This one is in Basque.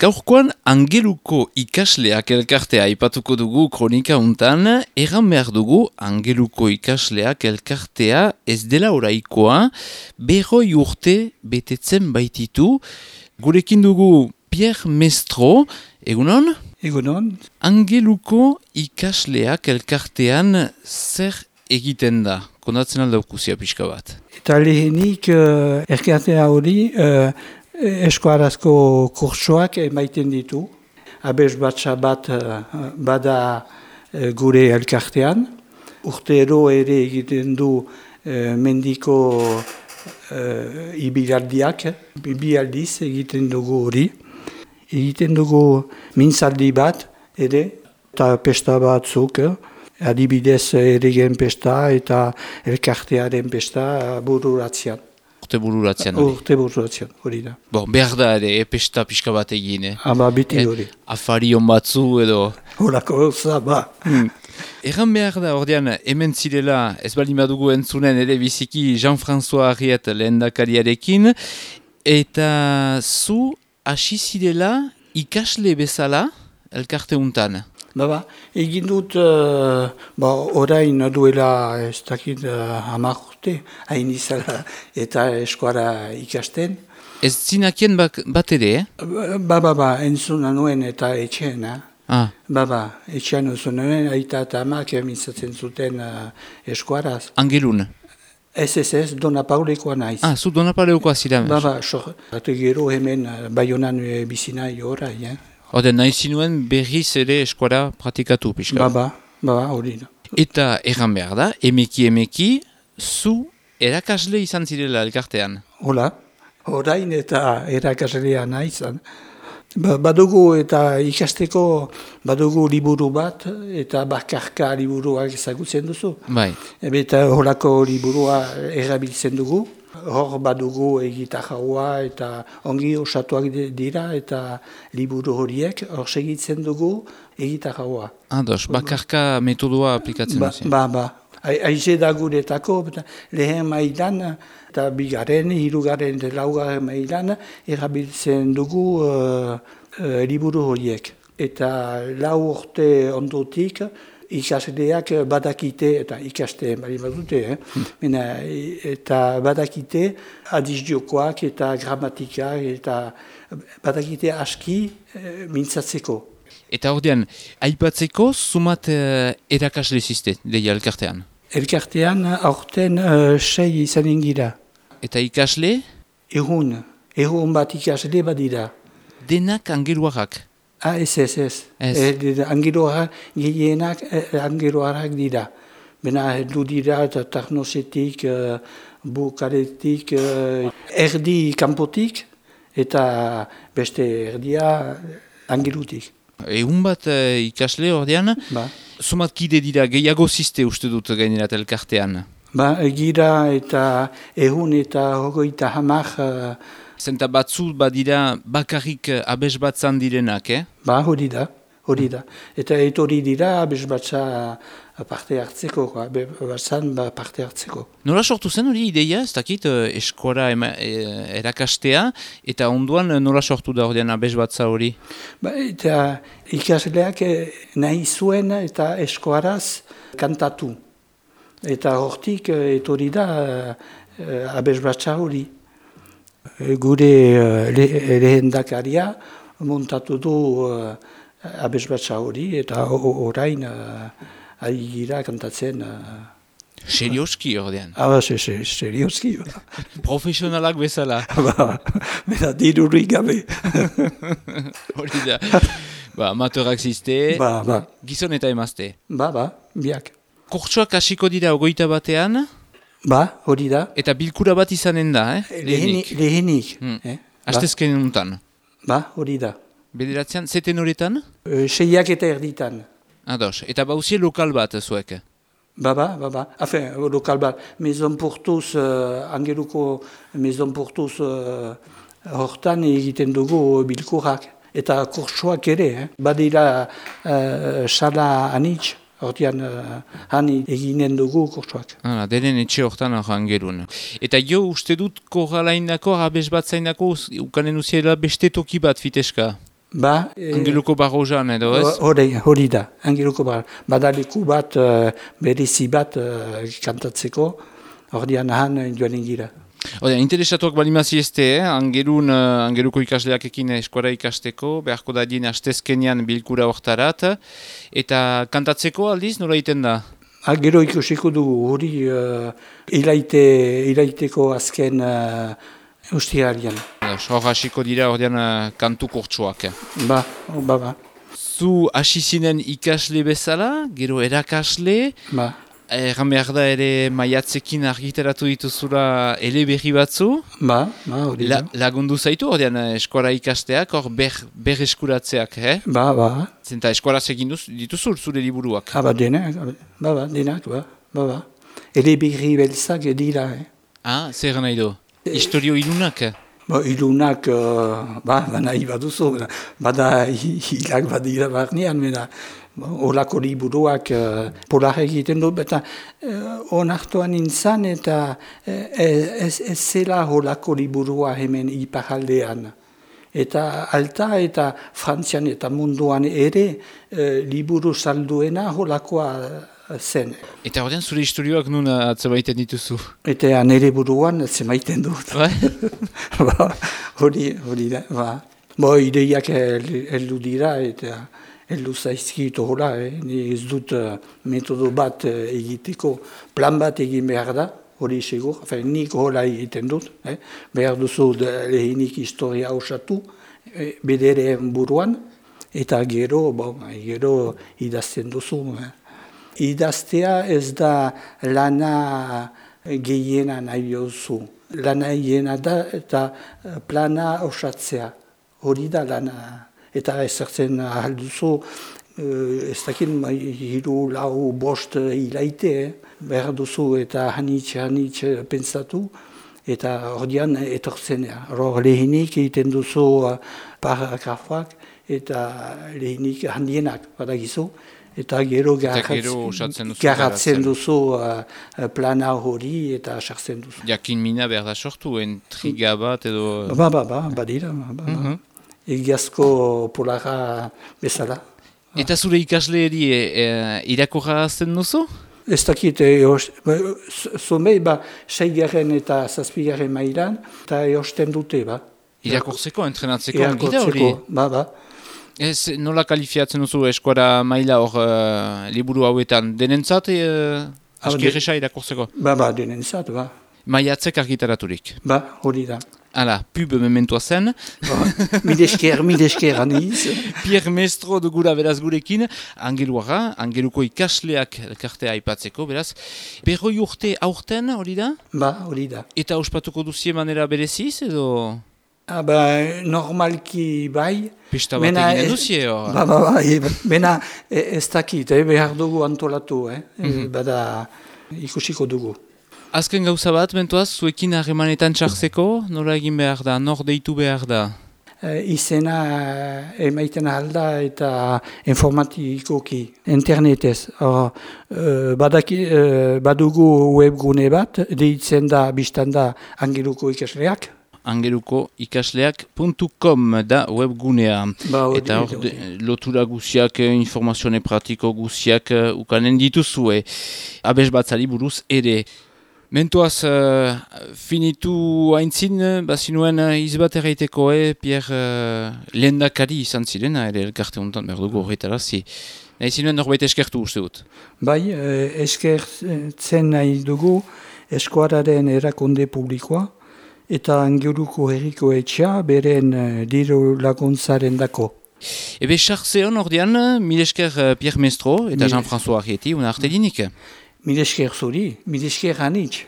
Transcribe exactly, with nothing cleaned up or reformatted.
Gaurkoan Angeluko ikasleak elkartea aipatuko dugu kronika untan, erran behar dugu Angeluko ikasleak elkartea ez dela oraikoa, berroi urte betetzen baititu. Gurekin dugu Pierre Mestro, egunon? Egunon. Angeluko ikasleak elkartean zer egiten da? Kondatzen aldaukuzia pixka bat. Eta lehenik uh, elkartea hori uh, eskuarazko kurtsoak emaiten ditu. Abes batxa bat uh, bada uh, gure elkartean. Urtero ere egiten du uh, mendiko uh, ibilaldiak. Bi aldiz egiten dugu hori. Egiten dugu mintzaldi bat ere, eta pesta batzuk. Adibidez eregen pesta eta elkartearen pesta bururatzean. Urte bururatzean hori. Urte bururatzean, hori da. Bon, behar da ere, e, pesta pixka bat egin, eh? Ama biti hori. E, afarion batzu edo... Horako zaba. Hmm. Erran behar da, ordean, hemen zirela, ez bali madugu entzunen ere biziki Jean-François Arriet lehendakariarekin, eta zu hasi zirela ikasle bezala elkarte untan. Baba, egin dut, uh, ba, orain duela ez dakit uh, hamar urte, hain izala eta eskuara ikasten. Ez zinakien bak, bat ere, eh? Ba, ba, ba, entzuna nuen eta etxean, eh? Ah. Ba, ba, etxean entzun nuen, aita eta amak mintzatzen zuten uh, eskuaraz. Angelun? Ez, ez, ez, Dona Paulekoa naiz. Ah, zu Dona Paulekoa zira. Ba, ba, so, eta gero hemen uh, Baionan uh, bizina horai, eh? Oden, nahi zinuen berriz ere eskuara pratikatu, pixka. Baba, baba, hori da. Eta erran behar da, emeki emeki, zu erakasle izan zirela elkartean. Hola, orain eta erakaslea naizan. Ba, badugu eta ikasteko badugu liburu bat, eta bakarka liburuak ezagutzen duzu. Bai. Eta holako liburua erabiltzen dugu. Hor badugu egitarraua eta ongi osatuak dira eta liburu horiek hor segitzen dugu egitarraua. Ados, bakarka metodoa aplikatzen ba, duzu. Ba, ba. Aize da guretako, lehen mailan eta bigaren, hirugaren eta laugarren mailan erabiltzen dugu uh, uh, liburu horiek. Eta lau urte ondotik, ikasleak badakite, eta ikaste bali badute, eh? Mena, eta badakite adiziokoak eta gramatikak, eta badakite aski eh, mintzatzeko. Eta ordean, aipatzeko, sumat uh, erakasle ziste, deia elkartean? Elkartean aurten uh, sei izan ingira. Eta ikasle? Erun, erun bat ikasle badira. Denak angeluarrak? Ah, ez, ez, ez. ez. Angeluarrak, gehienak eh, angeluarrak dira. Bena, du dira eta Tarnosetik, uh, Bukaretik, uh, erdi kanpotik, eta beste erdia angelutik. Egun bat uh, ikasle ordean, Ba. Sumat kide dira, gehiago ziste uste dut gainerat elkartean? Ba, gira eta ehun eta hogeita hamar... Uh, Zenta batzu badira bakarrik abes batzan direnak, eh? Ba, hori da, hori da. Eta etorri dira abes batza parte hartzeko, abes batzan ba parte hartzeko. Nola sortu zen hori ideia, ez dakit, eskuara ema, e, erakastea, eta onduan nola sortu da ordean abes batza hori? Ba, eta ikasleak nahi zuen eta eskuaraz kantatu. Eta hortik etorri da abes batza hori. Gure uh, le, lehendakaria montatu du uh, abesbatza hori eta orain uh, ari gira kantatzen. Uh, Serioski ordean? Ah, se, se, serioski. Profesionalak bezala? Ba, bera dirurik gabe. Hori da. Ba, amateurak ziste, ba, ba. Gizon eta emazte. Ba, ba, biak. Kurtsoak hasiko dira ogoita batean? Ba, hori da. Eta bilkura bat izanen da, eh? Lehenik. Lehenik. Hmm. Eh? Astezken untan. Ba, hori da. Bederatzean, zeten horretan? E, seiak eta erditan. Ados, eta bauzie lokal bat zuek? Ba, ba, ba, ba. Afen, lokal bat. Maison Portuz, uh, Angeluko Maison Portuz uh, hortan egiten dugu bilkurak. Eta kurtsoak ere, eh? Badira uh, sala anitz. Hortian, uh, hani eginen dugu kurtsoak. Hala, denen etxe hortan Angelun. Eta jo, uste dut korralainako, abes bat zainako, ukanen uziela beste toki bat, fiteska? Ba, e, Angeluko barrozan edo ez? Hori, hori da, Angeluko bar. Badaleku bat, uh, berezi bat uh, kantatzeko, ordean ahan joan gira. Oda, interesatuak balimazi ezte, eh? Angelun, uh, Angeluko ikasleak ekin eskora ikasteko, beharko da dien astezkenian bilkura hortarat, eta kantatzeko aldiz, nola egiten da? Ha, gero ikusiko dugu, hori uh, ilaite, ilaiteko azken uh, ustiarian. Hor hasiko dira ordean uh, kantu kurtsuak. Ba, ba, ba. Zu hasi zinen ikasle bezala, gero erakasle, Ba. Erran behar da ere maiatzekin argitaratu dituzula eleberri batzu. Ba, ba, hori La, da. lagundu zaitu, ordean eskora ikasteak, hor ber, ber eskuratzeak, eh? Ba, ba. Zenta eskoraz egin duz, dituzul zure liburuak. Ha, ba, denak, ba, ba, denak, ba, ba, ba. Eleberri belzak dira, eh. Ah, zer nahi du? Historio ilunak? Ba, ilunak, uh, ba, ba, nahi baduzu, bada hilak badira barnean, mena. Olako liburuak uh, polar egiten du, eta uh, onartuan nintzen, eta uh, ez, ez zela olako liburua hemen iparaldean. Eta alta eta Frantzian eta munduan ere uh, liburu salduena olakoa zen. Eta ordean zure historioak nun atzemaiten dituzu? Eta nire buruan zemaiten dut. Bai? Ba, hori, hori da, ba. Bo, ideiak heldu dira, eta heldu zaizkit hola, eh? Ni ez dut uh, metodo bat uh, egiteko, plan bat egin behar da, hori segur, enfin, nik hola egiten dut, eh? Behar duzu lehenik historia osatu, eh, bederen buruan, eta gero, bon, gero idazten duzu. Eh? Idaztea ez da lana gehiena nahi duzu, lana gehiena da eta plana osatzea, hori da lana. Eta ezertzen ahalduzu, ez dakit hiru, lau, bost hilaite, eh? Behar duzu eta hanitz, hanitz pentsatu, eta ordean etortzenea. Hor lehenik egiten duzu paragrafoak eta lehenik handienak, badagizu, eta gero garatzen duzu uh, plana hori eta sartzen duzu. Jakin mina behar da sortu, intriga bat edo... Ba, ba, ba, badira, ba, ba. Mm-hmm. Egiazko polara bezala. Eta zure ikasleeri e, e, irakorra azten duzu? Ez dakit, zomei, ba, seigaren eta zazpigaren mailan, eta eosten dute, ba. Irakortzeko, entrenatzeko, gira hori? Ba, ba. Ez, nola kalifiatzen duzu eskora maila hor uh, liburu hauetan? Denentzat, uh, aski erresa irakortzeko? Ba, ba, denentzat, ba. Maiatzek argitaraturik? Ba, hori da. Hala, pub mementoa zen. Midesker, midesker aniz. Pierre Mestro dugura beraz gurekin, Angeluara, Angeluko ikasleak elkartea aipatzeko, beraz. Berroi urte aurten, hori da? Ba, hori da. Eta ospatuko duzie manera bereziz, edo? Ah, ba, normalki bai. Pista bat eginen duzie, hor? Ba, ba, ba, bena ez dakit, eh, behar dugu antolatu, eh? Mm-hmm. Bada ikusiko dugu. Azken gauza bat, bentoaz, zuekin harremanetan txartzeko, nola egin behar da, nor deitu behar da? E, izena emaiten alda eta informatikoki, internetez. Or, e, badaki, e, badugu webgune bat, deitzen da, biztan da, Angeluko ikasleak. Angeluko ikasleak puntu com da webgunea. Ba, odi, eta hor, lotura guziak, informazione pratiko guziak ukanen dituzue. Abes batzari buruz ere. Mentoaz, uh, finitu haintzin, bazinuen uh, izbat erraiteko, eh, Pierre uh, lehendakari izan zirena, ere elkarte honetan behar dugu horretarazi. Nahi zinuen norbait eskertu uste dut? Bai, eh, eskertzen nahi dugu eskuararen erakunde publikoa eta Angeluko herriko etxea beren uh, diru laguntzaren dako. Ebe, xartzeon ordean, mil esker uh, Pierre Mestro eta Jean-François Arrieti, una arte dinik. Mil esker zuri, mil esker anitz.